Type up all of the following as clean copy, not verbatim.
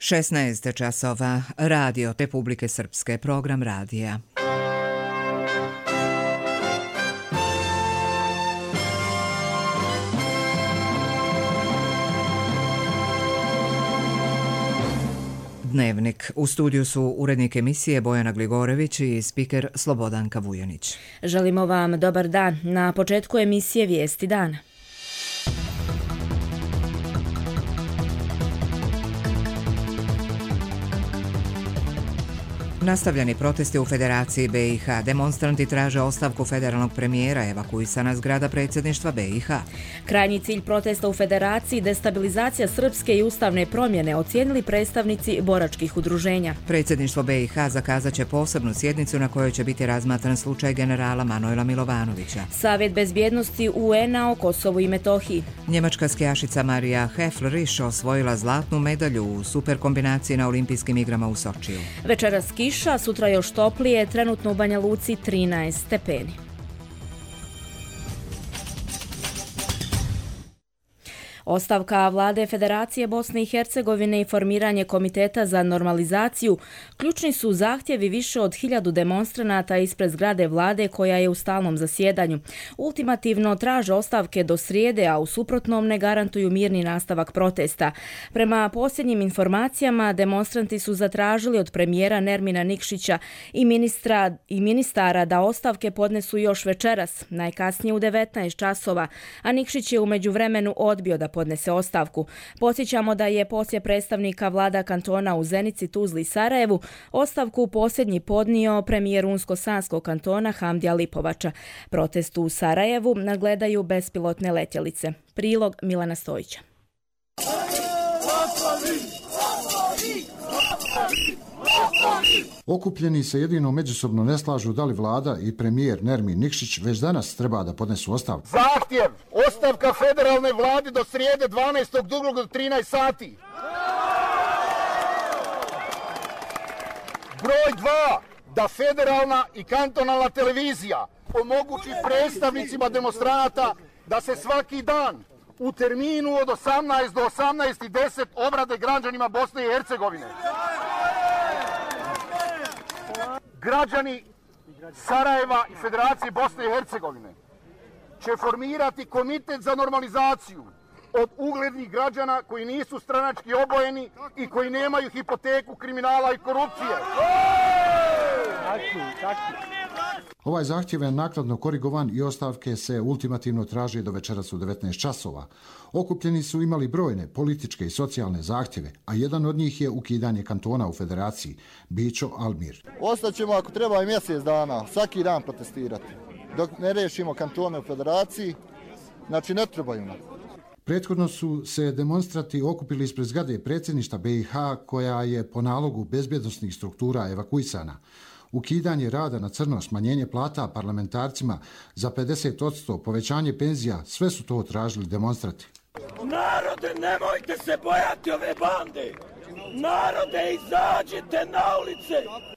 16 časova, Radio Republike Srpske, program radija. Dnevnik. U studiju su urednik emisije Bojana Gligorević i spiker Slobodanka Vujanić. Želimo vam dobar dan. Na početku emisije Vijesti dana. Nastavljeni protesti u Federaciji BiH. Demonstranti traže ostavku federalnog premijera, evakuisana zgrada predsjedništva BiH. Krajnji cilj protesta u Federaciji destabilizacija srpske i ustavne promjene, ocijenili predstavnici boračkih udruženja. Predsjedništvo BiH zakazat će posebnu sjednicu na kojoj će biti razmatran slučaj generala Manojla Milovanovića. Savjet bezbjednosti UN-a o Kosovu i Metohiji. Njemačka skijašica Marija Hefleriš osvojila zlatnu medalju u super kombinaciji na olimpijskim igrama u Sočiju. Večeras kiša, sutra još toplije, trenutno u Banja Luci 13 stepeni. Ostavka vlade Federacije Bosne i Hercegovine i formiranje Komiteta za normalizaciju ključni su zahtjevi više od 1000 demonstranata ispred zgrade vlade koja je u stalnom zasjedanju. Ultimativno traže ostavke do srijede, a u suprotnom ne garantuju mirni nastavak protesta. Prema posljednjim informacijama, demonstranti su zatražili od premijera Nermina Nikšića i ministara da ostavke podnesu još večeras, najkasnije u 19 časova, a Nikšić je u međuvremenu odbio da podnese ostavku. Podsjećamo da je poslije predstavnika vlada kantona u Zenici, Tuzli i Sarajevu ostavku posljednji podnio premijer Unsko-Sanskog kantona Hamdija Lipovača. Protest u Sarajevu nadgledaju bespilotne letjelice. Prilog Milana Stojića. Okupljeni se jedino međusobno ne slažu da li vlada i premijer Nermin Nikšić već danas treba da podnesu ostavku. Zahtjev ostavka federalne vlade do srijede 12.2. do 13 sati. Broj 2. Da federalna i kantonalna televizija omogući predstavnicima demonstranata da se svaki dan u terminu od 18 do 18:10 obrade građanima Bosne i Hercegovine. Građani Sarajeva i Federacije Bosne i Hercegovine će formirati komitet za normalizaciju od uglednih građana koji nisu stranački obojeni i koji nemaju hipoteku kriminala i korupcije. Ovaj zahtjev je naknadno korigovan i ostavke se ultimativno traže do večeras u 19 časova. Okupljeni su imali brojne političke i socijalne zahtjeve, a jedan od njih je ukidanje kantona u Federaciji, Bićo Almir. Ostaćemo ako treba i mjesec dana, svaki dan protestirati. Dok ne rešimo kantone u Federaciji, znači ne trebaju nam. Prethodno su se demonstranti okupili ispred zgrade predsjedništva BiH koja je po nalogu bezbjednosnih struktura evakuisana. Ukidanje rada na crno, smanjenje plata parlamentarcima za 50%, povećanje penzija, sve su to tražili demonstranti. Narode, nemojte se bojati ove bande! Narode, izađite na ulice!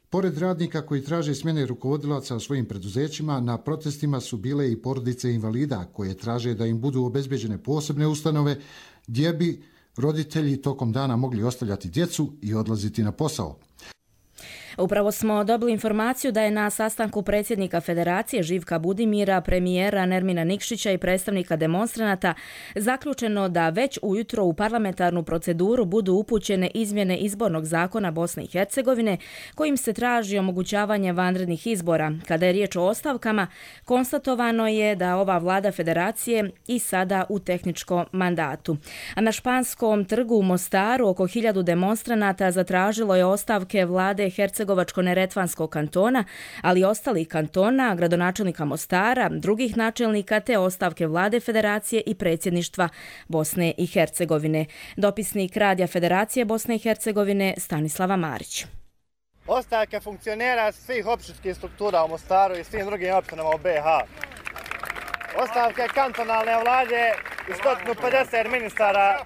Pored radnika koji traže smjene rukovodilaca u svojim preduzećima, na protestima su bile i porodice invalida koje traže da im budu obezbeđene posebne ustanove gdje bi roditelji tokom dana mogli ostavljati djecu i odlaziti na posao. Upravo smo dobili informaciju da je na sastanku predsjednika Federacije Živka Budimira, premijera Nermina Nikšića i predstavnika demonstranata zaključeno da već ujutro u parlamentarnu proceduru budu upućene izmjene izbornog zakona Bosne i Hercegovine kojim se traži omogućavanje vanrednih izbora. Kada je riječ o ostavkama, konstatovano je da ova vlada Federacije i sada u tehničkom mandatu. A na Španskom trgu u Mostaru oko 1000 demonstranata zatražilo je ostavke vlade Hercegovačko-neretvanskog kantona, ali i ostalih kantona, gradonačelnika Mostara, drugih načelnika te ostavke vlade Federacije i predsjedništva Bosne i Hercegovine. Dopisnik Radija Federacije Bosne i Hercegovine Stanislava Marić. Ostavke funkcionera svih opštinskih struktura u Mostaru i svim drugim opštinama u BiH. Ostavke kantonalne vlade i 150 ministara.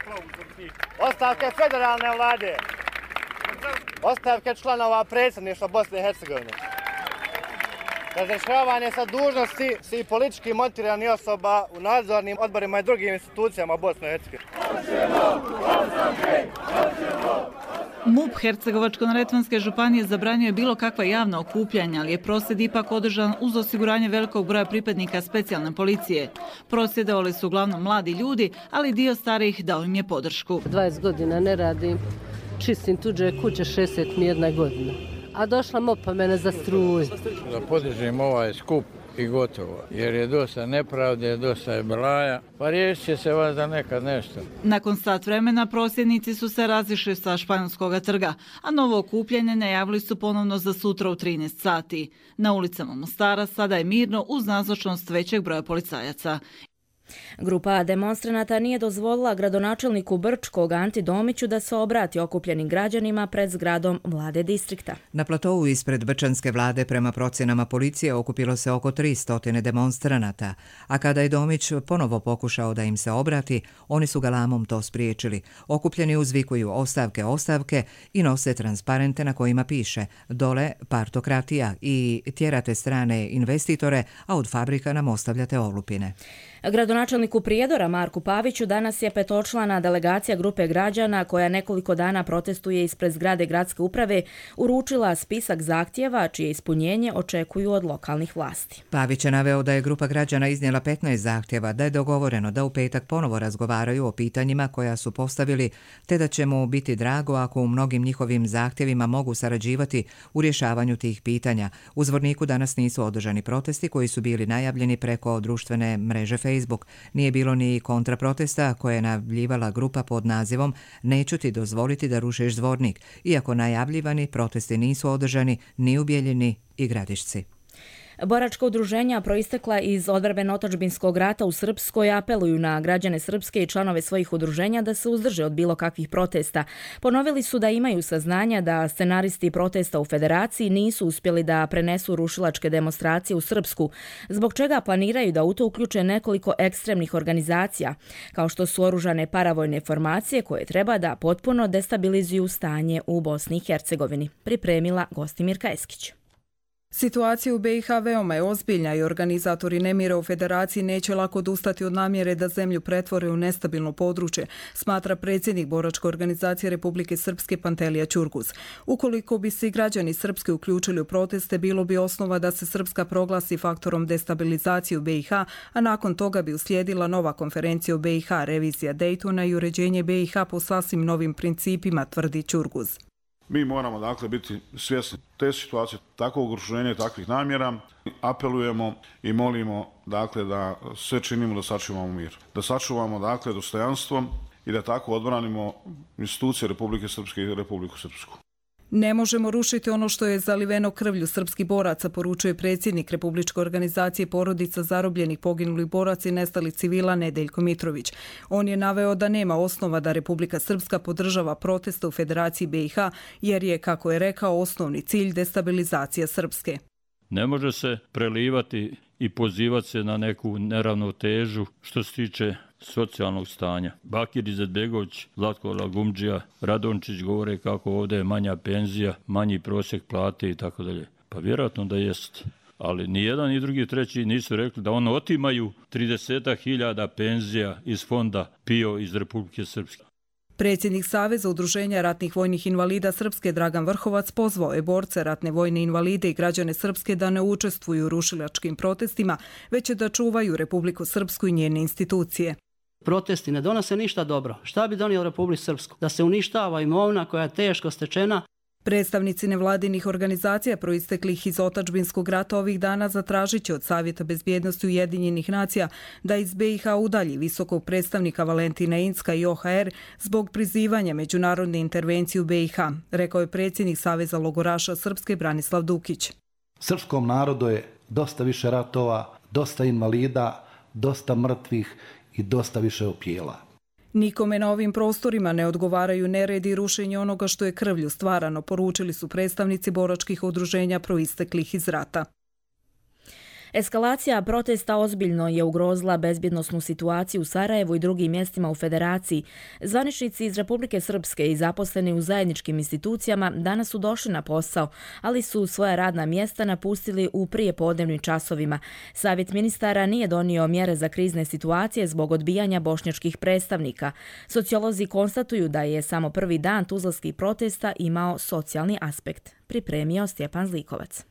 Ostavke federalne vlade. Ostavke članova predsjedništva Bosne i Hercegovine. Razrješavanje sa dužnosti svih politički motiviranih osoba u nadzornim odborima i drugim institucijama Bosne i Hercegovine. MUP Hercegovačko-neretvanske županije zabranio je bilo kakva javna okupljanja, ali je prosvjed ipak održan uz osiguranje velikog broja pripadnika specijalne policije. Prosvjedovali su uglavnom mladi ljudi, ali dio starijih dao im je podršku. 20 godina ne radim, čistim tuđe kuće, 61 godina. A došla MUP-a mene za struju. Da podržim ovaj skup i gotovo, jer je dosta nepravde, dosta je belaja, pa riješit će se vas da nekad nešto. Nakon sat vremena prosvjednici su se razišli sa Španjolskog trga, a novo okupljanje najavili su ponovno za sutra u 13 sati. Na ulicama Mostara sada je mirno uz nazočnost većeg broja policajaca. Grupa demonstranata nije dozvolila gradonačelniku Brčkog Anti Domiću da se obrati okupljenim građanima pred zgradom vlade distrikta. Na platovu ispred Brčanske vlade prema procjenama policije okupilo se oko 300 demonstranata, a kada je Domić ponovo pokušao da im se obrati, oni su galamom to spriječili. Okupljeni uzvikuju ostavke, ostavke i nose transparente na kojima piše dole partokratija i tjerate strane investitore, a od fabrika nam ostavljate olupine. Gradonačelniku Prijedora Marku Paviću danas je petočlana delegacija grupe građana koja nekoliko dana protestuje ispred zgrade gradske uprave uručila spisak zahtjeva čije ispunjenje očekuju od lokalnih vlasti. Pavić je naveo da je grupa građana iznijela 15 zahtjeva, da je dogovoreno da u petak ponovo razgovaraju o pitanjima koja su postavili, te da će mu biti drago ako u mnogim njihovim zahtjevima mogu sarađivati u rješavanju tih pitanja. U Zvorniku danas nisu održani protesti koji su bili najavljeni preko društvene mreže Facebook. Nije bilo ni kontraprotesta koje je najavljivala grupa pod nazivom Neću ti dozvoliti da rušiš Zvornik, iako najavljivani protesti nisu održani ni u Bijeljini i Gradišci. Boračka udruženja proistekla iz odbrambeno-otadžbinskog rata u Srpskoj apeluju na građane Srpske i članove svojih udruženja da se uzdrže od bilo kakvih protesta. Ponovili su da imaju saznanja da scenaristi protesta u Federaciji nisu uspjeli da prenesu rušilačke demonstracije u Srpsku, zbog čega planiraju da u to uključe nekoliko ekstremnih organizacija, kao što su oružane paravojne formacije koje treba da potpuno destabilizuju stanje u Bosni i Hercegovini. Pripremila Gostimirka Eskić. Situacija u BiH veoma je ozbiljna i organizatori nemira u Federaciji neće lako odustati od namjere da zemlju pretvore u nestabilno područje, smatra predsjednik Boračke organizacije Republike Srpske Pantelija Ćurguz. Ukoliko bi se i građani Srpske uključili u proteste, bilo bi osnova da se Srpska proglasi faktorom destabilizacije u BiH, a nakon toga bi uslijedila nova konferencija u BiH, revizija Daytona i uređenje BiH po sasvim novim principima, tvrdi Ćurguz. Mi moramo dakle biti svjesni te situacije, takvog okruženja i takvih namjera. Apelujemo i molimo dakle da sve činimo da sačuvamo mir. Da sačuvamo dakle dostojanstvo i da tako odbranimo institucije Republike Srpske i Republiku Srpsku. Ne možemo rušiti ono što je zaliveno krvlju srpskih boraca, poručuje predsjednik Republičke organizacije porodica zarobljenih poginulih boraca i nestalih civila Nedeljko Mitrović. On je naveo da nema osnova da Republika Srpska podržava proteste u Federaciji BiH, jer je, kako je rekao, osnovni cilj destabilizacija Srpske. Ne može se prelivati i pozivati se na neku neravnotežu što se tiče socijalnog stanja. Bakir Izetbegović, Zlatko Lagumdžija, Radončić govore kako ovdje je manja penzija, manji prosjek plate i tako dalje. Pa vjerojatno da jest. Ali ni jedan ni drugi treći nisu rekli da ono otimaju 30.000 penzija iz fonda PIO iz Republike Srpske. Predsjednik Saveza udruženja ratnih vojnih invalida Srpske Dragan Vrhovac pozvao je borce, ratne vojne invalide i građane Srpske da ne učestvuju u rušilačkim protestima, već da čuvaju Republiku Srpsku i njene institucije. Protesti ne donose ništa dobro. Šta bi donio Republiku Srpsku? Da se uništava imovina koja je teško stečena. Predstavnici nevladinih organizacija proisteklih iz otadžbinskog rata ovih dana zatražit će od Savjeta bezbjednosti Ujedinjenih nacija da iz BiH udalji visokog predstavnika Valentina Incka i OHR zbog prizivanja međunarodne intervencije u BiH, rekao je predsjednik Saveza logoraša Srpske Branislav Dukić. Srpskom narodu je dosta više ratova, dosta invalida, dosta mrtvih i dosta više opijela. Nikome na ovim prostorima ne odgovaraju nered i rušenje onoga što je krvlju stvarano, poručili su predstavnici boračkih udruženja proisteklih iz rata. Eskalacija protesta ozbiljno je ugrozila bezbjednosnu situaciju u Sarajevu i drugim mjestima u Federaciji. Zvaničnici iz Republike Srpske i zaposleni u zajedničkim institucijama danas su došli na posao, ali su svoja radna mjesta napustili u prijepodnevnim časovima. Savjet ministara nije donio mjere za krizne situacije zbog odbijanja bošnjačkih predstavnika. Sociolozi konstatuju da je samo prvi dan tuzlanskih protesta imao socijalni aspekt. Pripremio Stjepan Zlikovac.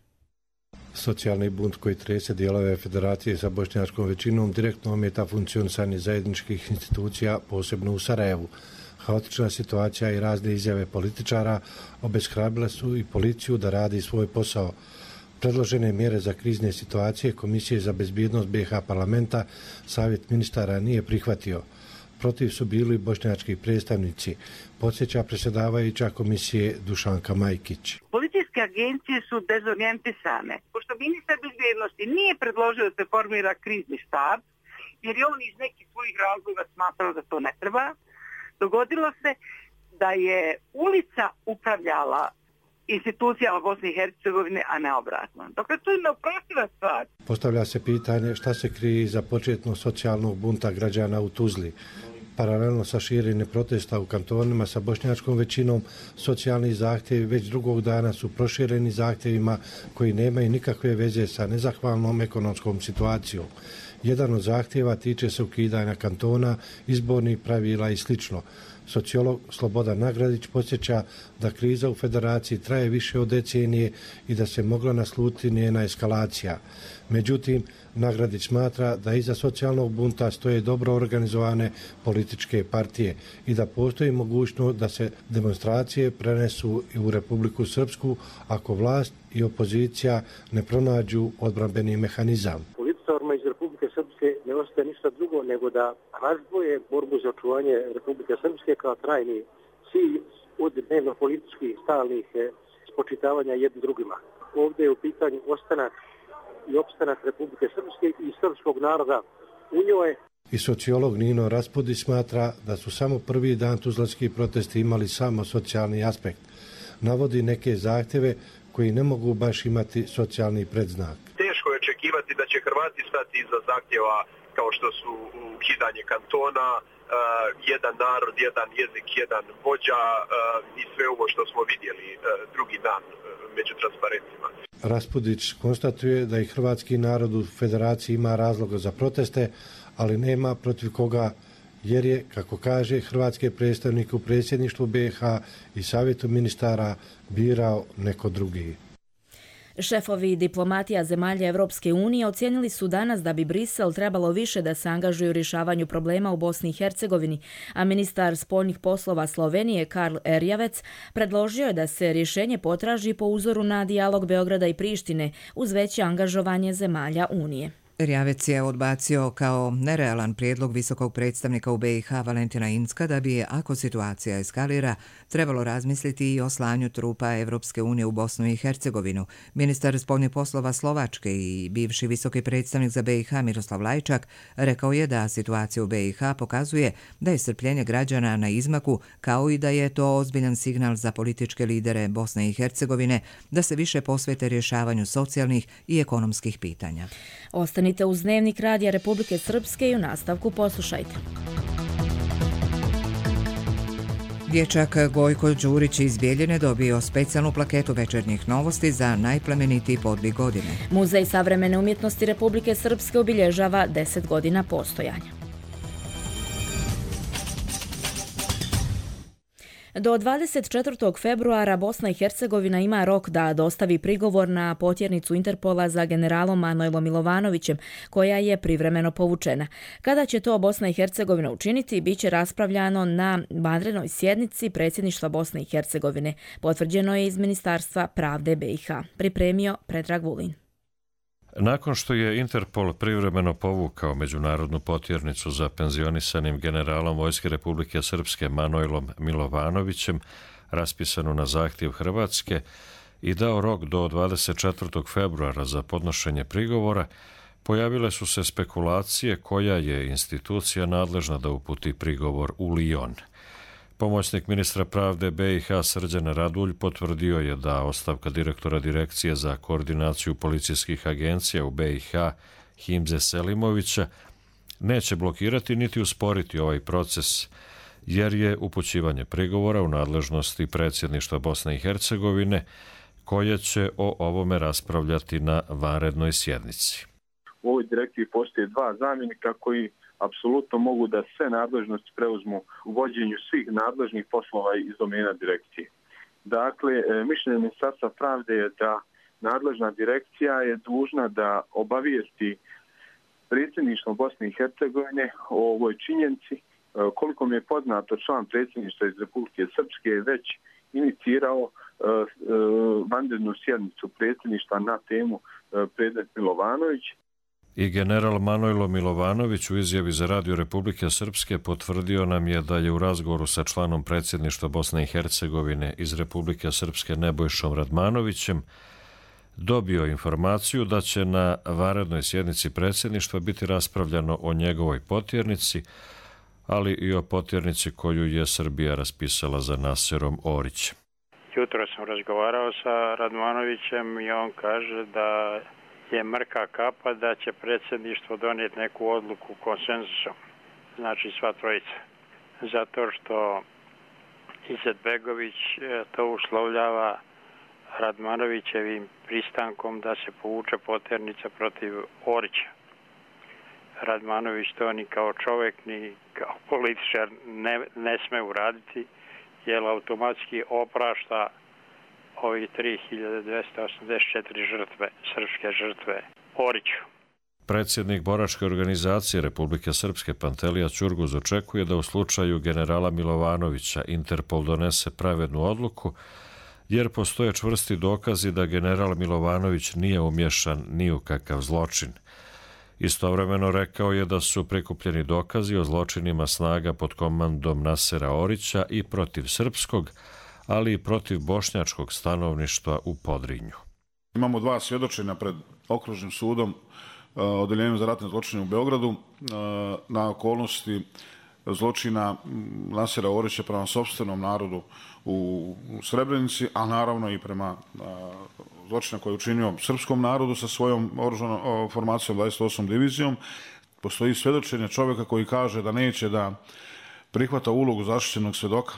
Socijalni bunt koji trese dijelove federacije sa bošnjačkom većinom direktno ometa funkcionisanje zajedničkih institucija, posebno u Sarajevu. Haotična situacija i razne izjave političara obeshrabrile su i policiju da radi svoj posao. Predložene mjere za krizne situacije Komisije za bezbjednost BiH parlamenta Savjet ministara nije prihvatio. Protiv su bili bošnjački predstavnici, podsjeća predsjedavajuća komisije Dušanka Majkić. Policijske agencije su dezorijentisane. Pošto ministar bezbjednosti nije predložio da se formira krizni štab, jer je on iz nekih svojih razloga smatrao da to ne treba, dogodilo se da je ulica upravljala institucijama Bosne i Hercegovine, a ne obratno. Dakle, to je neoprostiva stvar. Postavlja se pitanje šta se krije iza početnog socijalnog bunta građana u Tuzli. Paralelno sa širenjem protesta u kantonima sa bošnjačkom većinom, socijalni zahtjevi već drugog dana su prošireni zahtjevima koji nemaju nikakve veze sa nezahvalnom ekonomskom situacijom. Jedan od zahtjeva tiče se ukidanja kantona, izbornih pravila i sl. Sociolog Slobodan Nagradić podsjeća da kriza u federaciji traje više od decenije i da se mogla naslutiti njena eskalacija. Međutim, Nagradić smatra da iza socijalnog bunta stoje dobro organizovane političke partije i da postoji mogućnost da se demonstracije prenesu i u Republiku Srpsku ako vlast i opozicija ne pronađu odbrambeni mehanizam. Političarima iz Republike Srpske ne ostaje ništa drugo nego da razdvoje borbu za očuvanje Republike Srpske kao trajni cilj od dnevno-političkih stalnih spočitavanja jednim drugima. Ovdje je u pitanju ostanak i opstanak Republike Srpske i srpskog naroda u njoj. I sociolog Nino Raspudi smatra da su samo prvi dan tuzlanski protesti imali samo socijalni aspekt. Navodi neke zahtjeve koji ne mogu baš imati socijalni predznak. Teško je očekivati da će Hrvati stati iza zahtjeva kao što su ukidanje kantona, jedan narod, jedan jezik, jedan vođa i sve ovo što smo vidjeli drugi dan među transparentima. Raspudić konstatuje da i hrvatski narod u federaciji ima razloga za proteste, ali nema protiv koga, jer je, kako kaže, hrvatske predstavnike u predsjedništvu BiH i savjetu ministara birao neko drugi. Šefovi diplomatija zemalja Evropske unije ocijenili su danas da bi Brisel trebalo više da se angažuje u rješavanju problema u Bosni i Hercegovini, a ministar spoljnih poslova Slovenije Karl Erjavec predložio je da se rješenje potraži po uzoru na dijalog Beograda i Prištine uz veće angažovanje zemalja Unije. Erjavec je odbacio kao nerealan prijedlog visokog predstavnika u BiH Valentina Incka da bi, ako situacija eskalira, trebalo razmisliti i o slanju trupa Evropske unije u Bosnu i Hercegovinu. Ministar spoljnih poslova Slovačke i bivši visoki predstavnik za BiH Miroslav Lajčak rekao je da situacija u BiH pokazuje da je strpljenje građana na izmaku, kao i da je to ozbiljan signal za političke lidere Bosne i Hercegovine da se više posvete rješavanju socijalnih i ekonomskih pitanja. Ostanite uz Dnevnik Radija Republike Srpske i u nastavku poslušajte. Dječak Gojko Đurić iz Bijeljine dobio specijalnu plaketu Večernjih novosti za najplemenitiji podvig godine. Muzej savremene umjetnosti Republike Srpske obilježava 10 godina postojanja. Do 24. februara Bosna i Hercegovina ima rok da dostavi prigovor na potjernicu Interpola za generalom Manojlom Milovanovićem, koja je privremeno povučena. Kada će to Bosna i Hercegovina učiniti, bit će raspravljano na vanrednoj sjednici predsjedništva Bosne i Hercegovine. Potvrđeno je iz Ministarstva pravde BiH. Pripremio Predrag Vulin. Nakon što je Interpol privremeno povukao međunarodnu potjernicu za penzionisanim generalom Vojske Republike Srpske Manojlom Milovanovićem, raspisanu na zahtjev Hrvatske, i dao rok do 24. februara za podnošenje prigovora, pojavile su se spekulacije koja je institucija nadležna da uputi prigovor u Lijon. Pomoćnik ministra pravde BiH Srđan Radulj potvrdio je da ostavka direktora Direkcije za koordinaciju policijskih agencija u BiH Himze Selimovića neće blokirati niti usporiti ovaj proces, jer je upućivanje prigovora u nadležnosti predsjedništva Bosne i Hercegovine, koje će o ovome raspravljati na vanrednoj sjednici. U ovoj direktivi postoje dva zamjenika koji apsolutno mogu da sve nadležnosti preuzmu u vođenju svih nadležnih poslova iz domena direkcije. Dakle, mišljenje Ministarstva pravde je da nadležna direkcija je dužna da obavijesti predsjedništvo Bosne i Hercegovine o ovoj činjenici. Koliko mi je poznato, član predsjedništva iz Republike Srpske je već inicirao vanrednu sjednicu predsjedništva na temu predmet Milovanović. I general Manojlo Milovanović u izjavi za Radio Republike Srpske potvrdio nam je da je u razgovoru sa članom predsjedništva Bosne i Hercegovine iz Republike Srpske Nebojšom Radmanovićem dobio informaciju da će na vanrednoj sjednici predsjedništva biti raspravljano o njegovoj potjernici, ali i o potjernici koju je Srbija raspisala za Naserom Orićem. Jutro sam razgovarao sa Radmanovićem i on kaže da je mrka kapa da će predsjedništvo donijeti neku odluku konsenzusom, znači sva trojica. Zato što Izetbegović to uslovljava Radmanovićevim pristankom da se povuče potjernica protiv Orića. Radmanović to ni kao čovjek ni kao političar ne sme uraditi, jer automatski oprašta ovih 3284 žrtve, srpske žrtve Oriću. Predsjednik boračke organizacije Republike Srpske Pantelija Ćurguz očekuje da u slučaju generala Milovanovića Interpol donese pravednu odluku, jer postoje čvrsti dokazi da general Milovanović nije umješan ni u kakav zločin. Istovremeno rekao je da su prikupljeni dokazi o zločinima snaga pod komandom Nasera Orića i protiv srpskog, ali i protiv bošnjačkog stanovništva u Podrinju. Imamo dva svjedočenja pred okružnim sudom Odeljenjem za ratne zločine u Beogradu na okolnosti zločina Nasera Orića prema sopstvenom narodu u Srebrenici, a naravno i prema zločina koje je učinio srpskom narodu sa svojom oružanom formacijom 28. divizijom. Postoji svjedočenje čovjeka koji kaže da neće da prihvata ulogu zaštićenog svjedoka.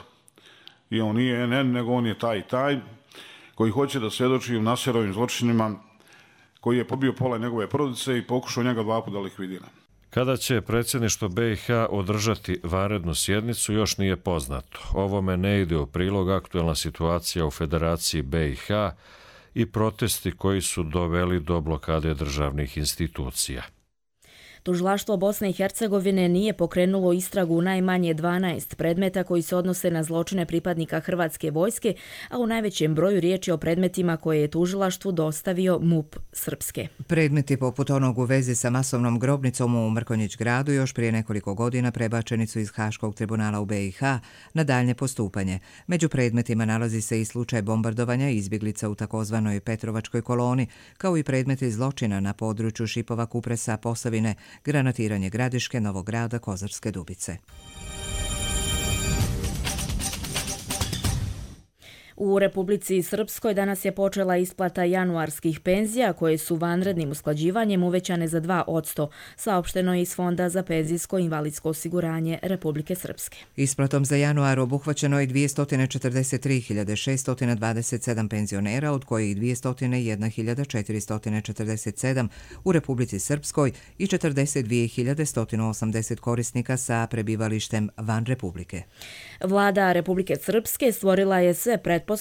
I on nije NN, nego on je taj i taj, koji hoće da svjedoči u Naserovim zločinima, koji je pobio pola njegove porodice i pokušao njega 2 puta da likvidira. Kada će predsjedništvo BiH održati vanrednu sjednicu, još nije poznato. Ovome ne ide u prilog aktuelna situacija u Federaciji BiH i protesti koji su doveli do blokade državnih institucija. Tužilaštvo Bosne i Hercegovine nije pokrenulo istragu u najmanje 12 predmeta koji se odnose na zločine pripadnika Hrvatske vojske, a u najvećem broju riječ je o predmetima koje je tužilaštvu dostavio MUP Srpske. Predmeti poput onog u vezi sa masovnom grobnicom u Mrkonjić gradu još prije nekoliko godina prebačeni su iz Haškog tribunala u BiH na daljnje postupanje. Među predmetima nalazi se i slučaj bombardovanja izbjeglica u takozvanoj Petrovačkoj koloni, kao i predmeti zločina na području Šipova, Kupresa, Posavine, granatiranje Gradiške, Novog Grada, Kozarske Dubice. U Republici Srpskoj danas je počela isplata januarskih penzija koje su vanrednim usklađivanjem uvećane za 2%, saopšteno je iz Fonda za penzijsko i invalidsko osiguranje Republike Srpske. Isplatom za januar obuhvaćeno je 243.627 penzionera, od kojih 201.447 u Republici Srpskoj i 42.180 korisnika sa prebivalištem van Republike. Vlada Republike Srpske stvorila je sve pretpostavke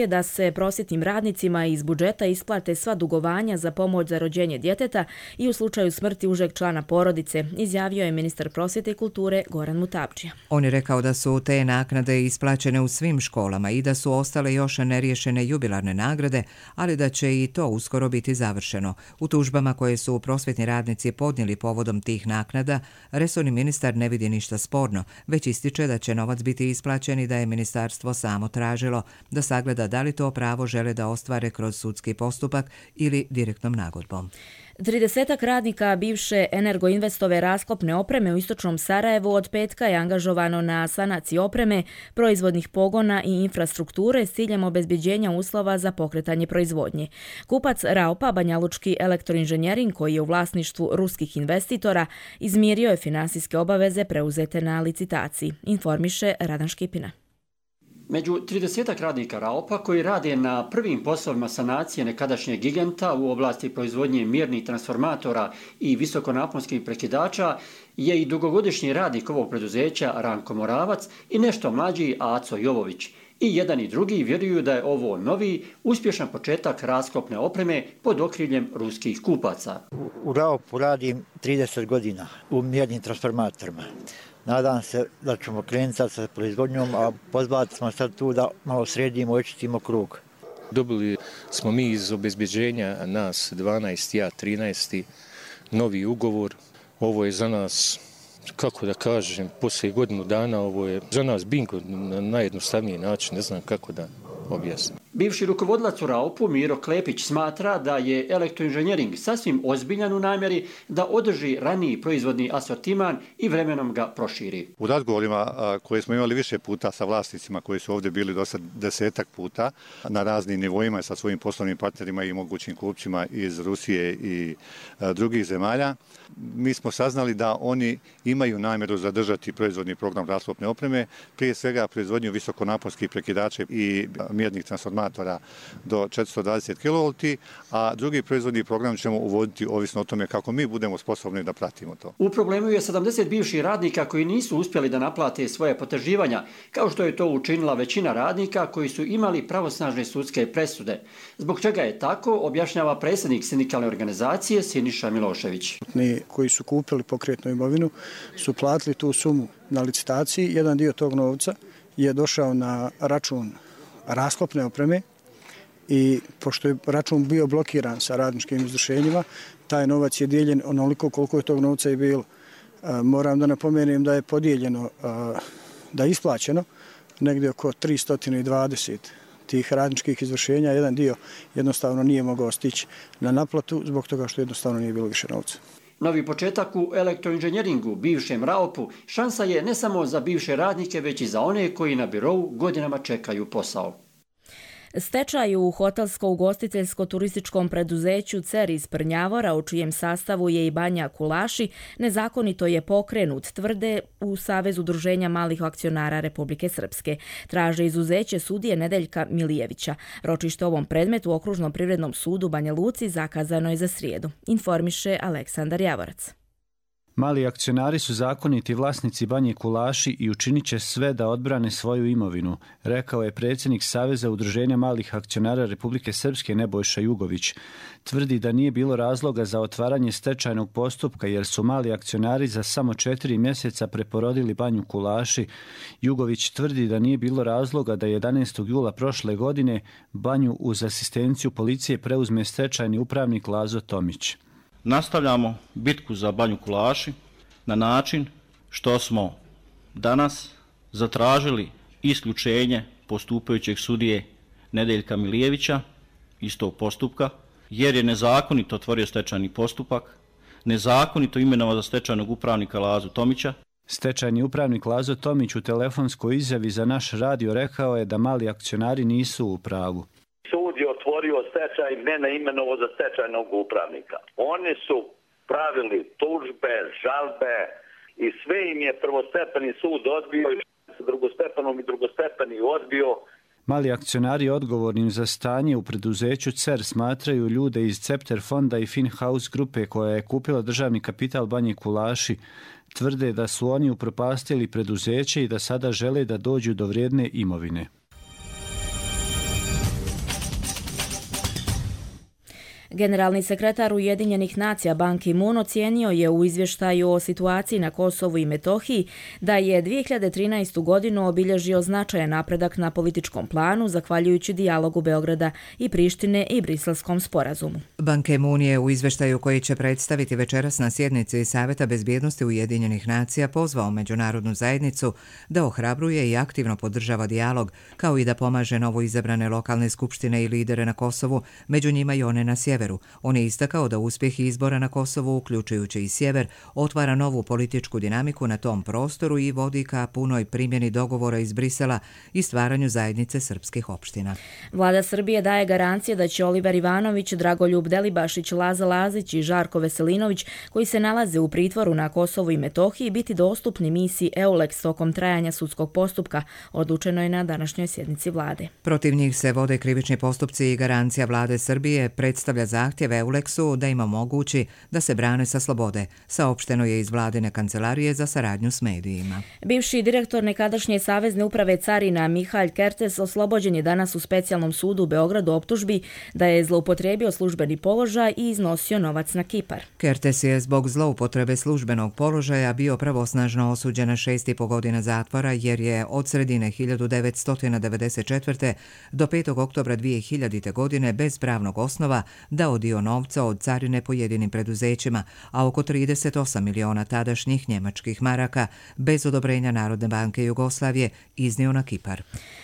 da se prosvjetnim radnicima iz budžeta isplate sva dugovanja za pomoć za rođenje djeteta i u slučaju smrti užeg člana porodice, izjavio je ministar prosvjete i kulture Goran Mutapčija. On je rekao da su te naknade isplaćene u svim školama i da su ostale još neriješene jubilarne nagrade, ali da će i to uskoro biti završeno. U tužbama koje su prosvjetni radnici podnijeli povodom tih naknada, resorni ministar ne vidi ništa sporno, već ističe da će novac biti isplaćen i da je ministarstvo samo tražilo da sagleda da li to pravo žele da ostvare kroz sudski postupak ili direktnom nagodbom. 30 radnika bivše Energoinvestove rasklopne opreme u istočnom Sarajevu od petka je angažovano na sanaciji opreme, proizvodnih pogona i infrastrukture s ciljem obezbeđenja uslova za pokretanje proizvodnje. Kupac Raopa, banjalučki elektroinženjering koji je u vlasništvu ruskih investitora, izmirio je finansijske obaveze preuzete na licitaciji, informiše Radan Škipina. Među 30 radnika Raopa koji rade na prvim poslovima sanacije nekadašnjeg giganta u oblasti proizvodnje mjernih transformatora i visokonaponskih prekidača je i dugogodišnji radnik ovog preduzeća Ranko Moravac i nešto mlađi Aco Jovović. I jedan i drugi vjeruju da je ovo novi, uspješan početak rasklopne opreme pod okriljem ruskih kupaca. U Raopu radim 30 godina u mjernim transformatorima. Nadam se da ćemo krenuti sa proizvodnjom, a pozvati smo sad tu da malo sredimo, očistimo krug. Dobili smo mi iz obezbeđenja nas 12, ja 13, novi ugovor. Ovo je za nas, kako da kažem, poslije godinu dana, ovo je za nas bingo na najjednostavniji način, ne znam kako da objasnim. Bivši rukovodilac u Raopu Miro Klepić smatra da je elektroinženjering sasvim ozbiljan u namjeri da održi raniji proizvodni asortiman i vremenom ga proširi. U razgovorima koje smo imali više puta sa vlasnicima koji su ovdje bili do sad 10 puta na raznim nivoima sa svojim poslovnim partnerima i mogućim kupcima iz Rusije i drugih zemalja, mi smo saznali da oni imaju namjeru zadržati proizvodni program rasklopne opreme, prije svega proizvodnju visokonaponskih prekidača i mjernih transformatora do 420 kV, a drugi proizvodni program ćemo uvoditi ovisno o tome kako mi budemo sposobni da pratimo to. U problemu je 70 bivših radnika koji nisu uspjeli da naplate svoje potraživanja, kao što je to učinila većina radnika koji su imali pravosnažne sudske presude. Zbog čega je tako, objašnjava predsjednik sindikalne organizacije Siniša Milošević. Koji su kupili pokretnu imovinu su platili tu sumu na licitaciji. Jedan dio tog novca je došao na račun rasklopne opreme i pošto je račun bio blokiran sa radničkim izvršenjima, taj novac je dijeljen onoliko koliko je tog novca i bilo. Moram da napomenem da je podijeljeno, da je isplaćeno negdje oko 320 tih radničkih izvršenja. Jedan dio jednostavno nije mogao stići na naplatu zbog toga što jednostavno nije bilo više novca. Novi početak u elektroinženjeringu, bivšem Raopu, šansa je ne samo za bivše radnike, već i za one koji na birou godinama čekaju posao. Stečaj u hotelsko-ugostiteljsko-turističkom preduzeću CER iz Prnjavora, u čijem sastavu je i Banja Kulaši, nezakonito je pokrenut, tvrde u Savezu udruženja malih akcionara Republike Srpske. Traže izuzeće sudije Nedeljka Milijevića. Ročište ovom predmetu u Okružnom privrednom sudu Banja Luci zakazano je za srijedu, informiše Aleksandar Javorac. Mali akcionari su zakoniti vlasnici Banje Kulaši i učinit će sve da odbrane svoju imovinu, rekao je predsjednik Saveza udruženja malih akcionara Republike Srpske Nebojša Jugović. Tvrdi da nije bilo razloga za otvaranje stečajnog postupka jer su mali akcionari za samo 4 mjeseca preporodili Banju Kulaši. Jugović tvrdi da nije bilo razloga da 11. jula prošle godine Banju uz asistenciju policije preuzme stečajni upravnik Lazo Tomić. Nastavljamo bitku za Banju Kulaši na način što smo danas zatražili isključenje postupajućeg sudije Nedeljka Milijevića iz tog postupka, jer je nezakonito otvorio stečajni postupak, nezakonito imenovao za stečajnog upravnika Lazu Tomića. Stečajni upravnik Lazo Tomić u telefonskoj izjavi za naš radio rekao je da mali akcionari nisu u pravu. Sud je otvorio stečaj, mene imenovao za stečajnog upravnika. Oni su pravili tužbe, žalbe i sve im je prvostepeni sud odbio i drugostepenom i drugostepeni odbio. Mali akcionari odgovornim za stanje u preduzeću CER smatraju ljude iz Cepter fonda i Finhouse grupe koja je kupila državni kapital Banje Kulaši. Tvrde da su oni upropastili preduzeće i da sada žele da dođu do vrijedne imovine. Generalni sekretar Ujedinjenih nacija Ban Ki-moon ocijenio je u izvještaju o situaciji na Kosovu i Metohiji da je 2013. godinu obilježio značajan napredak na političkom planu zahvaljujući dijalogu Beograda i Prištine i Briselskom sporazumu. Ban Ki-moon je u izvještaju koji će predstaviti večeras na sjednici Saveta bezbjednosti Ujedinjenih nacija pozvao međunarodnu zajednicu da ohrabruje i aktivno podržava dijalog, kao i da pomaže novo izabrane lokalne skupštine i lidere na Kosovu, među njima i one na sjeveru. On je istakao da uspjeh izbora na Kosovu, uključujući i sjever, otvara novu političku dinamiku na tom prostoru i vodi ka punoj primjeni dogovora iz Brisela i stvaranju zajednice srpskih opština. Vlada Srbije daje garancije da će Oliver Ivanović, Dragoljub Delibašić, Laza Lazić i Žarko Veselinović, koji se nalaze u pritvoru na Kosovu i Metohiji, biti dostupni misiji EULEX tokom trajanja sudskog postupka, odlučeno je na današnjoj sjednici vlade. Protiv njih se vode krivični postupci i garancija vlade Srbije predstavlja zahtjev EULEX-u da im omogući da se brane sa slobode, saopšteno je iz vladine kancelarije za saradnju s medijima. Bivši direktor nekadašnje Savezne uprave carina Mihalj Kertes oslobođen je danas u specijalnom sudu u Beogradu optužbi da je zloupotrijebio službeni položaj i iznosio novac na Kipar. Kertes je zbog zloupotrebe službenog položaja bio pravosnažno osuđen na 6,5 godina zatvora jer je od sredine 1994. do 5. oktobra 2000. godine bez pravnog osnova dao dio novca od carine pojedinim preduzećima, a oko 38 miliona tadašnjih njemačkih maraka bez odobrenja Narodne banke Jugoslavije iznio na Kipar.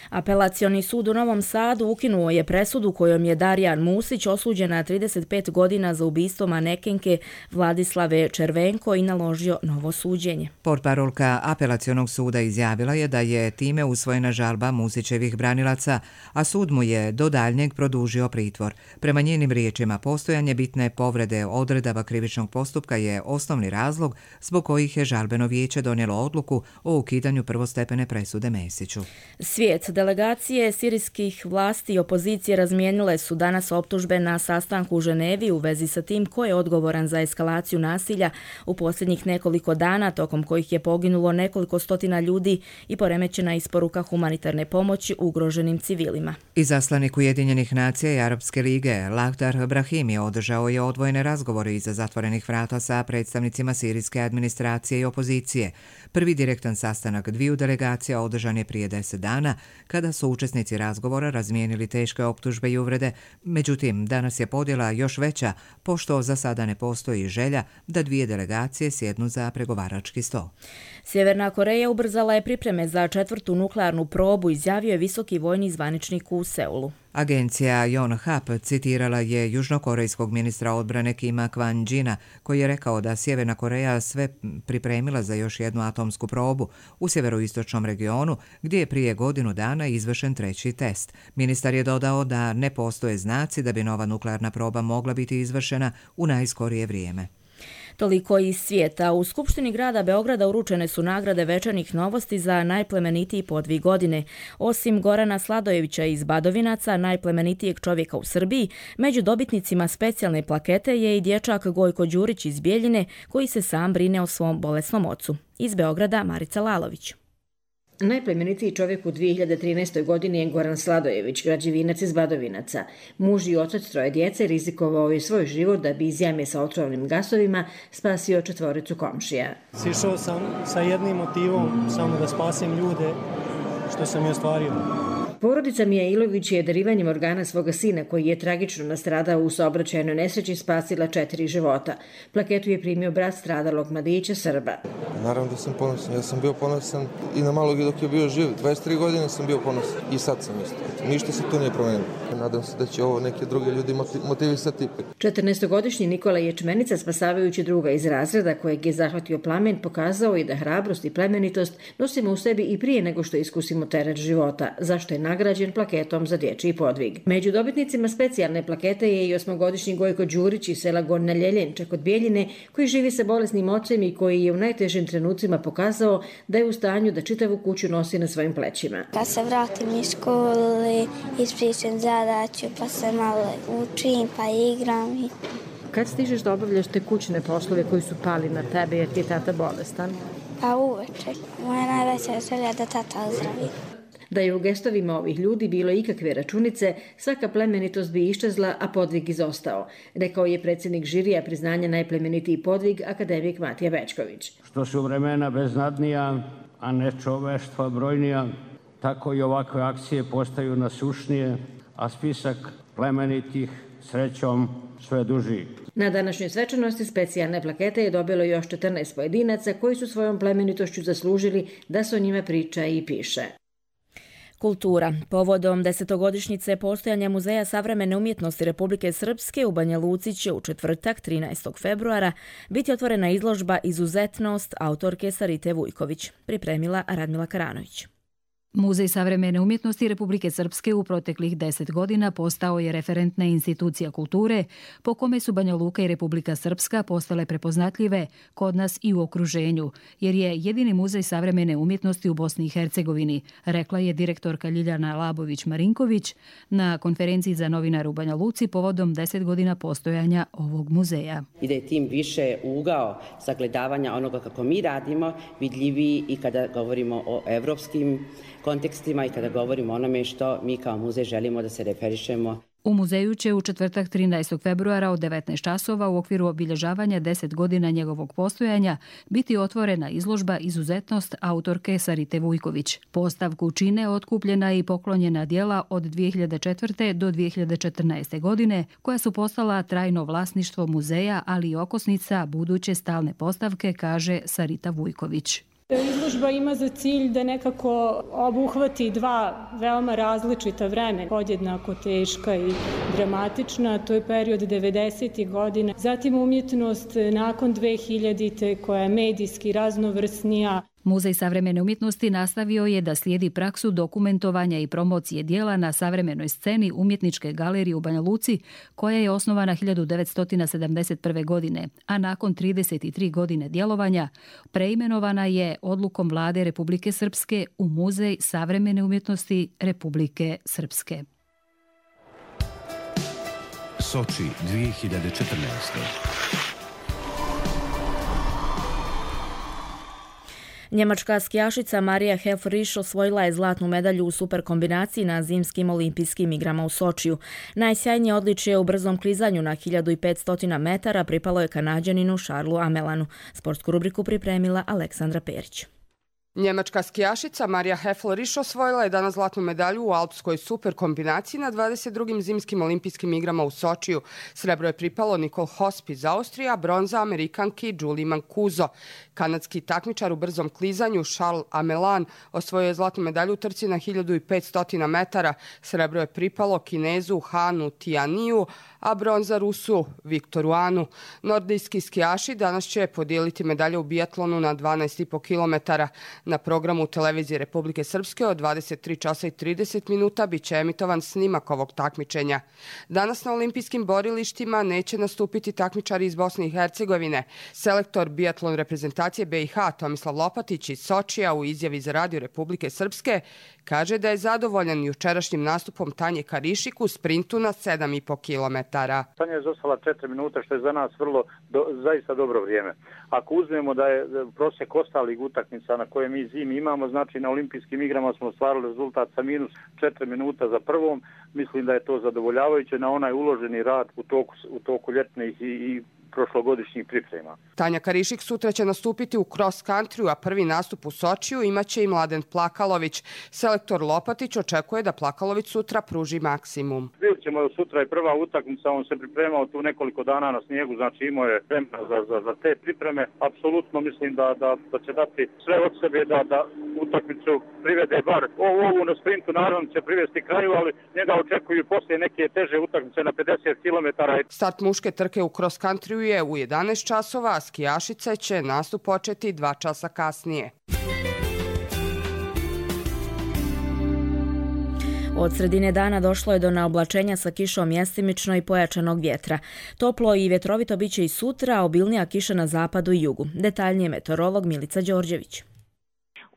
Apelacioni sud u Novom Sadu ukinuo je presudu kojom je Darijan Musić osuđen na 35 godina za ubistvo manekenke Vladislave Červenko i naložio novo suđenje. Portparolka apelacionog suda izjavila je da je time usvojena žalba Musićevih branilaca, a sud mu je do daljnjeg produžio pritvor. Prema njenim riječima, postojanje bitne povrede odredaba krivičnog postupka je osnovni razlog zbog kojih je žalbeno vijeće donijelo odluku o ukidanju prvostepene presude Mesiću. Svijet. Delegacije sirijskih vlasti i opozicije razmijenile su danas optužbe na sastanku u Ženevi u vezi sa tim ko je odgovoran za eskalaciju nasilja u posljednjih nekoliko dana, tokom kojih je poginulo nekoliko stotina ljudi i poremećena isporuka humanitarne pomoći ugroženim civilima. Izaslanik Ujedinjenih nacija i Arapske lige Lakhdar Brahimi održao je odvojene razgovore iza zatvorenih vrata sa predstavnicima sirijske administracije i opozicije. Prvi direktan sastanak dviju delegacija održan je prije 10 dana, kada su učesnici razgovora razmijenili teške optužbe i uvrede. Međutim, danas je podjela još veća, pošto za sada ne postoji želja da dvije delegacije sjednu za pregovarački stol. Sjeverna Koreja ubrzala je pripreme za 4. nuklearnu probu, izjavio je visoki vojni zvaničnik u Seulu. Agencija Yonhap citirala je južnokorejskog ministra odbrane Kima Kwan-jina, koji je rekao da Sjeverna Koreja sve pripremila za još jednu atomsku probu u sjeveroistočnom regionu, gdje je prije godinu dana izvršen 3. test. Ministar je dodao da ne postoje znaci da bi nova nuklearna proba mogla biti izvršena u najskorije vrijeme. Toliko iz svijeta. U Skupštini grada Beograda uručene su nagrade Večernjih novosti za najplemenitiji podvig godine. Osim Gorana Sladojevića iz Badovinaca, najplemenitijeg čovjeka u Srbiji, među dobitnicima specijalne plakete je i dječak Gojko Đurić iz Bijeljine, koji se sam brine o svom bolesnom ocu. Iz Beograda Marica Lalović. Najplemenitiji čovjek u 2013. godini je Goran Sladojević, građevinac iz Badovinaca. Muž i otac 3 djece rizikovao je svoj život da bi iz jame sa otrovnim gasovima spasio 4 komšija. Sišao sam sa jednim motivom, samo da spasim ljude, što sam i ostvario. Porodica Mijailović je darivanjem organa svoga sina, koji je tragično nastradao u saobraćajnoj nesreći, spasila 4 života. Plaketu je primio brat stradalog mladića Srba. Naravno da sam ponosan. Ja sam bio ponosan i na malog i dok je bio živ. 23 godine sam bio ponosan i sad sam isto. Ništa se tu nije promenilo. Nadam se da će ovo neke druge ljudi motivisati. 14-godišnji Nikola Ječmenica, spasavajući druga iz razreda kojeg je zahvatio plamen, pokazao je da hrabrost i plemenitost nosimo u sebi i prije nego što iskusimo teret života, zašto je nagrađen plaketom za dječji podvig. Među dobitnicima specijalne plakete je i 8-godišnji Gojko Đurić iz sela Gornja Ljeljenča kod Bijeljine, koji živi sa bolesnim ocem i koji je u najtežim trenucima pokazao da je u stanju da čitavu kuću nosi na svojim plećima. Kad se vratim iz škole, ispričam zadaću, pa se malo učim, pa igram. Kad stižeš da obavljaš te kućne poslove koji su pali na tebe jer ti je tata bolestan? Pa uveče. Moja najveća želja da tata ozdravi. Da je u gestovima ovih ljudi bilo ikakve računice, svaka plemenitost bi iščezla, a podvig izostao, rekao je predsjednik žirija priznanja najplemenitiji podvig akademik Matija Bečković. Što su vremena beznadnija, a ne čoveštva brojnija, tako i ovakve akcije postaju nasušnije, a spisak plemenitih srećom sve duži. Na današnjoj svečanosti specijalne plakete je dobilo još 14 pojedinaca koji su svojom plemenitošću zaslužili da se o njima priča i piše. Kultura. Povodom 10-godišnjice postojanja Muzeja savremene umjetnosti Republike Srpske u Banja Luci će u četvrtak 13. februara biti otvorena izložba Izuzetnost autorke Sarite Vujković, pripremila Radmila Karanović. Muzej savremene umjetnosti Republike Srpske u proteklih 10 godina postao je referentna institucija kulture po kome su Banja Luka i Republika Srpska postale prepoznatljive kod nas i u okruženju, jer je jedini muzej savremene umjetnosti u Bosni i Hercegovini, rekla je direktorka Ljiljana Labović-Marinković na konferenciji za novinare u Banja Luci povodom 10 godina postojanja ovog muzeja. I da je tim više ugao sagledavanja onoga kako mi radimo vidljiviji i kada govorimo o evropskim kontekstima i kada govorimo o onome što mi kao muzej želimo da se referišemo. U muzeju će u četvrtak 13. februara od 19 časova u okviru obilježavanja 10 godina njegovog postojanja biti otvorena izložba Izuzetnost autorke Sarite Vujković. Postavku čine otkupljena i poklonjena djela od 2004. do 2014. godine koja su postala trajno vlasništvo muzeja, ali i okosnica buduće stalne postavke, kaže Sarita Vujković. Izložba ima za cilj da nekako obuhvati dva veoma različita vremena, podjednako teška i dramatična, to je period 90. godina, zatim umjetnost nakon 2000. koja je medijski raznovrsnija. Muzej savremene umjetnosti nastavio je da slijedi praksu dokumentovanja i promocije dijela na savremenoj sceni Umjetničke galerije u Banja Luci, koja je osnovana 1971. godine, a nakon 33 godine djelovanja preimenovana je odlukom vlade Republike Srpske u Muzej savremene umjetnosti Republike Srpske. Soči 2014. Njemačka skijašica Marija Helfrich osvojila je zlatnu medalju u superkombinaciji na zimskim olimpijskim igrama u Sočiju. Najsjajnije odličje u brzom klizanju na 1500 metara pripalo je Kanađaninu Charlesu Amelanu. Sportsku rubriku pripremila Aleksandra Perić. Njemačka skijašica Marija Helfrich osvojila je danas zlatnu medalju u alpskoj superkombinaciji na 22. zimskim olimpijskim igrama u Sočiju. Srebro je pripalo Nicole Hosp iz Austrije, a bronza Amerikanki Julie Mancuso. Kanadski takmičar u brzom klizanju Charles Amelan osvojio je zlatnu medalju u trci na 1500 metara. Srebro je pripalo Kinezu Hanu Tianiju, a bronza Rusu Viktoru Anu. Nordijski skijaši danas će podijeliti medalje u bijatlonu na 12,5 km. Na programu televizije Republike Srpske od 23 časa i 30 minuta bit će emitovan snimak ovog takmičenja. Danas na olimpijskim borilištima neće nastupiti takmičari iz Bosne i Hercegovine. Selektor bijatlon reprezentacije BiH Tomislav Lopatić iz Sočija u izjavi za Radio Republike Srpske kaže da je zadovoljan jučerašnjim nastupom Tanje Karišik u sprintu na 7,5 km. Tanja je zostala 4 minuta, što je za nas zaista dobro vrijeme. Ako uzmemo da je prosjek ostalih utakmica na koje mi zimi imamo, znači na olimpijskim igrama smo ostvarili rezultat sa minus 4 minuta za prvom, mislim da je to zadovoljavajuće na onaj uloženi rad u toku ljetnih i prošlogodišnjih priprema. Tanja Karišik sutra će nastupiti u cross country, a prvi nastup u Sočiju imaće i Mladen Plakalović. Selektor Lopatić očekuje da Plakalović sutra pruži maksimum. Vidjet ćemo sutra i prva utakmica, on se pripremao tu nekoliko dana na snijegu, znači imao je vremena za te pripreme. Apsolutno mislim da će dati sve od sebe da utakmicu privede bar ovu na sprintu, naravno će privesti kraju, ali njega očekuju poslije neke teže utakmice na 50 km. Start muške trke u cross country je u 11 časova, a skijašice će nastup početi 2 časa kasnije. Od sredine dana došlo je do naoblačenja sa kišom mjestimično i pojačanog vjetra. Toplo i vjetrovito biće i sutra, a obilnija kiša na zapadu i jugu. Detaljnije meteorolog Milica Đorđević.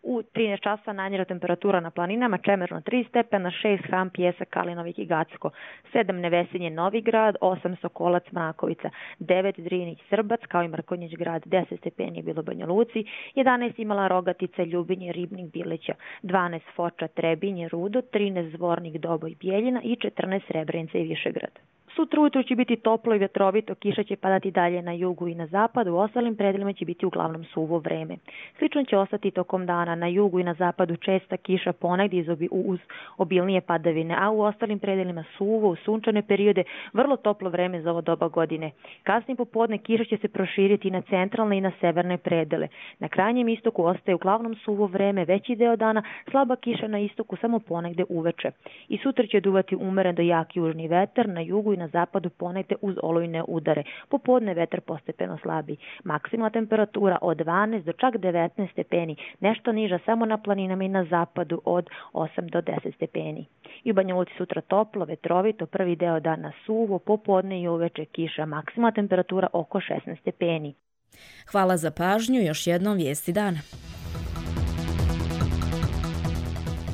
U 13 časa najniža temperatura na planinama, Čemerno 3 stepena, 6 Ham, Pjesak, Kalinovik i Gacko, 7 Nevesinje, Novigrad, 8 Sokolac, Mrakovica, 9 Drinić, Srbac, kao i Mrkonjić grad, 10 stepeni je bilo u Banja Luci, 11 Imala, Rogatica, Ljubinje, Ribnik, Bileća, 12 Foča, Trebinje, Rudo, 13 Zvornik, Doboj, Bijeljina i 14 Srebrenica i Višegrad. Sutra ujutru će biti toplo i vjetrovito, kiša će padati dalje na jugu i na zapadu, u ostalim predelima će biti uglavnom suvo vreme. Slično će ostati tokom dana, na jugu i na zapadu česta kiša, ponegdje uz obilnije padavine, a u ostalim predelima suvo, u sunčane periode, vrlo toplo vreme za ovo doba godine. Kasnije popodne kiša će se proširiti na centralne i na severne predele. Na krajnjem istoku ostaje uglavnom suvo vreme, veći deo dana, slaba kiša na istoku, samo ponegde uveče. I sutra će duvati umeren do jak južni vetar, na jugu i na zapadu ponegde uz olujne udare. Popodne vetar postepeno slabi. Maksimalna temperatura od 12 do čak 19 stepeni, nešto niža samo na planinama i na zapadu od 8 do 10 stepeni. I u Banja Luci sutra toplo, vetrovito, prvi deo dana suvo, popodne i uveče kiša, maksimalna temperatura oko 16 stepeni. Hvala za pažnju, još jednom vijesti dana.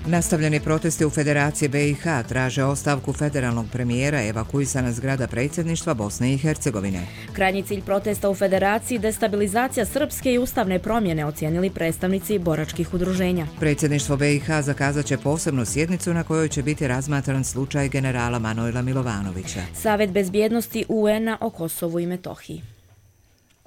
Nastavljeni protesti u Federaciji BiH traže ostavku federalnog premijera, evakuisana zgrada predsjedništva Bosne i Hercegovine. Krajnji cilj protesta u Federaciji destabilizacija srpske i ustavne promjene, ocijenili predstavnici boračkih udruženja. Predsjedništvo BiH zakazat će posebnu sjednicu na kojoj će biti razmatran slučaj generala Manojla Milovanovića. Savjet bezbjednosti UN-a o Kosovu i Metohiji.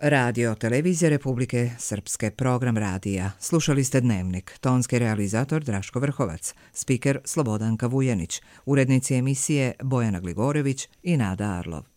Radio Televizija Republike Srpske, program radija. Slušali ste Dnevnik, tonski realizator Draško Vrhovac, spiker Slobodanka Vujanić, urednici emisije Bojana Gligorević i Nada Arlov.